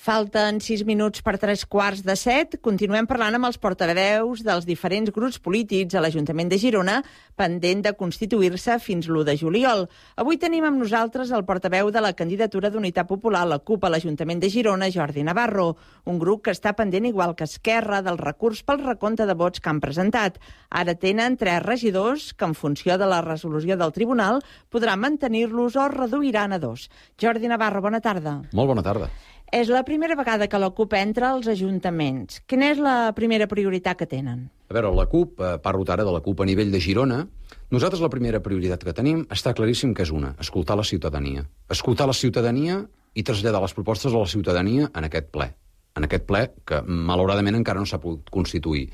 Falten 6 minuts per 3:15. Continuem parlant amb els portaveus dels diferents grups polítics a l'Ajuntament de Girona, pendent de constituir-se fins l'1 de juliol. Avui tenim amb nosaltres el portaveu de la candidatura d'Unitat Popular, la CUP, a l'Ajuntament de Girona, Jordi Navarro, un grup que està pendent, igual que Esquerra, del recurs pel recompte de vots que han presentat. Ara tenen 3 regidors que, en funció de la resolució del tribunal, podran mantenir-los o reduiran a 2. Jordi Navarro, bona tarda. Molt bona tarda. És la primera vegada que la CUP entra als ajuntaments. Quina és la primera prioritat que tenen? A veure, la CUP, parlo ara de la CUP a nivell de Girona, nosaltres la primera prioritat que tenim està claríssim que és una, escoltar la ciutadania. Escoltar la ciutadania i traslladar les propostes a la ciutadania en aquest ple. En aquest ple, que malauradament encara no s'ha pogut constituir.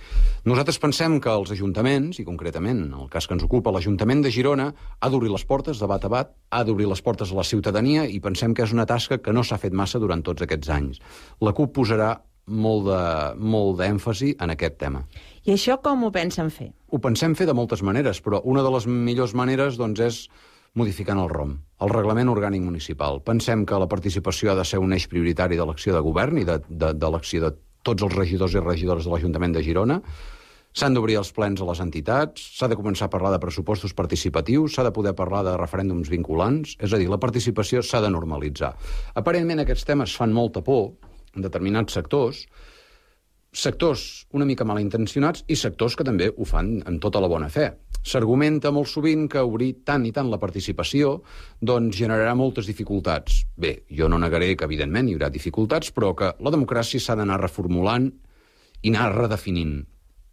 Nosaltres pensem que els ajuntaments, i concretament en el cas que ens ocupa, l'Ajuntament de Girona ha d'obrir les portes de bat a bat, ha d'obrir les portes a la ciutadania i pensem que és una tasca que no s'ha fet massa durant tots aquests anys. La CUP posarà molt d'èmfasi en aquest tema. I això com ho pensen fer? Ho pensem fer de moltes maneres, però una de les millors maneres doncs, és modificant el ROM, el Reglament Orgànic Municipal. Pensem que la participació ha de ser un eix prioritari de l'acció de govern i de l'acció de tots els regidors i regidores de l'Ajuntament de Girona. S'han d'obrir els plens a les entitats, s'ha de començar a parlar de pressupostos participatius, s'ha de poder parlar de referèndums vinculants, és a dir, la participació s'ha de normalitzar. Aparentment aquests temes fan molta por en determinats sectors una mica malintencionats i sectors que també ho fan amb tota la bona fe. S'argumenta molt sovint que obrir tant i tant la participació doncs generarà moltes dificultats. Bé, jo no negaré que evidentment hi haurà dificultats, però que la democràcia s'ha d'anar reformulant i anar redefinint,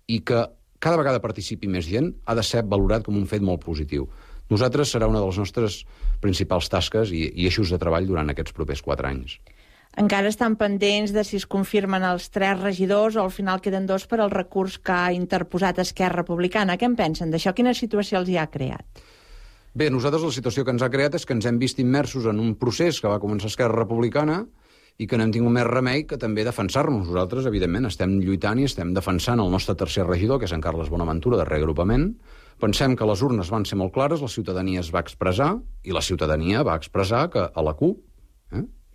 i que cada vegada participi més gent ha de ser valorat com un fet molt positiu. Nosaltres serà una de les nostres principals tasques i eixos de treball durant aquests propers 4 anys. Encara estan pendents de si es confirmen els 3 regidors o al final queden 2 per al recurs que ha interposat Esquerra Republicana. Què en pensen d'això? Quina situació els hi ha creat? Bé, nosaltres la situació que ens ha creat és que ens hem vist immersos en un procés que va començar Esquerra Republicana i que no hem tingut més remei que també defensar-nos. Nosaltres, evidentment, estem lluitant i estem defensant el nostre tercer regidor, que és en Carles Bonaventura, de Reagrupament. Pensem que les urnes van ser molt clares, la ciutadania es va expressar i la ciutadania va expressar que a la CUP,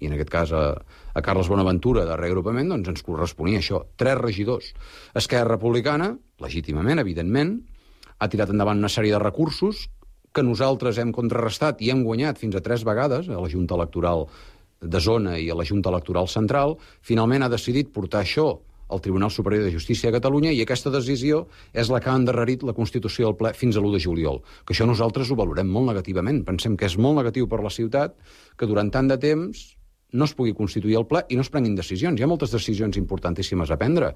i en aquest cas a Carles Bonaventura de Reagrupament, doncs ens corresponia això, 3 regidors. Esquerra Republicana, legítimament, evidentment, ha tirat endavant una sèrie de recursos que nosaltres hem contrarrestat i hem guanyat fins a 3 vegades a la Junta Electoral de Zona i a la Junta Electoral Central. Finalment ha decidit portar això al Tribunal Superior de Justícia de Catalunya i aquesta decisió és la que ha endarrerit la Constitució del ple fins a l'1 de juliol. Que això nosaltres ho valorem molt negativament. Pensem que és molt negatiu per la ciutat que durant tant de temps no es pugui constituir el ple i no es prenguin decisions. Hi ha moltes decisions importantíssimes a prendre.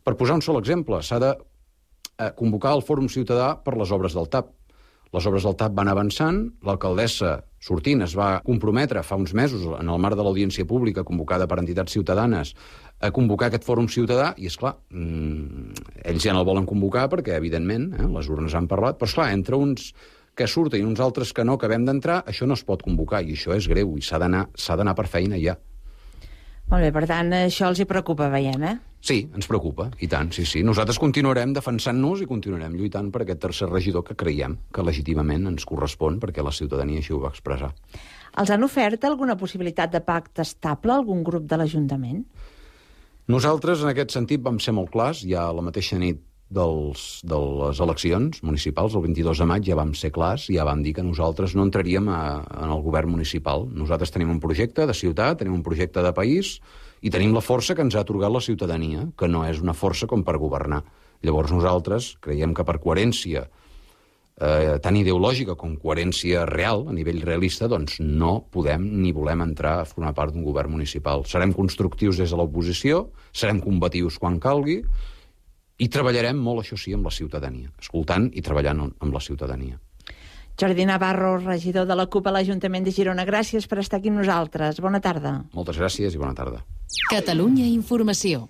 Per posar un sol exemple, s'ha de convocar el Fòrum Ciutadà per les obres del TAP. Les obres del TAP van avançant, l'alcaldessa sortint es va comprometre fa uns mesos, en el marc de l'audiència pública convocada per entitats ciutadanes, a convocar aquest Fòrum Ciutadà, i esclar, ells ja no el volen convocar perquè, evidentment, les urnes han parlat, però esclar, entre uns que surten i uns altres que no acabem d'entrar, això no es pot convocar, i això és greu, i s'ha d'anar per feina ja. Molt bé, per tant, això els hi preocupa, veiem, Sí, ens preocupa, i tant, sí. Nosaltres continuarem defensant-nos i continuarem lluitant per aquest tercer regidor que creiem que legítimament ens correspon perquè la ciutadania així ho va expressar. Els han ofert alguna possibilitat de pacte estable a algun grup de l'Ajuntament? Nosaltres, en aquest sentit, vam ser molt clars, ja la mateixa nit de les eleccions municipals, el 22 de maig, ja vam ser clars, ja vam dir que nosaltres no entraríem en el govern municipal. Nosaltres tenim un projecte de ciutat, tenim un projecte de país i tenim la força que ens ha atorgat la ciutadania, que no és una força com per governar. Llavors nosaltres creiem que per coherència tant ideològica com coherència real, a nivell realista, doncs no podem ni volem entrar a formar part d'un govern municipal. Serem constructius des de l'oposició, serem combatius quan calgui, i treballarem molt, això sí, amb la ciutadania, escoltant i treballant amb la ciutadania. Jordi Navarro, regidor de la CUP a l'Ajuntament de Girona, gràcies per estar aquí amb nosaltres. Bona tarda. Moltes gràcies i bona tarda. Catalunya Informació.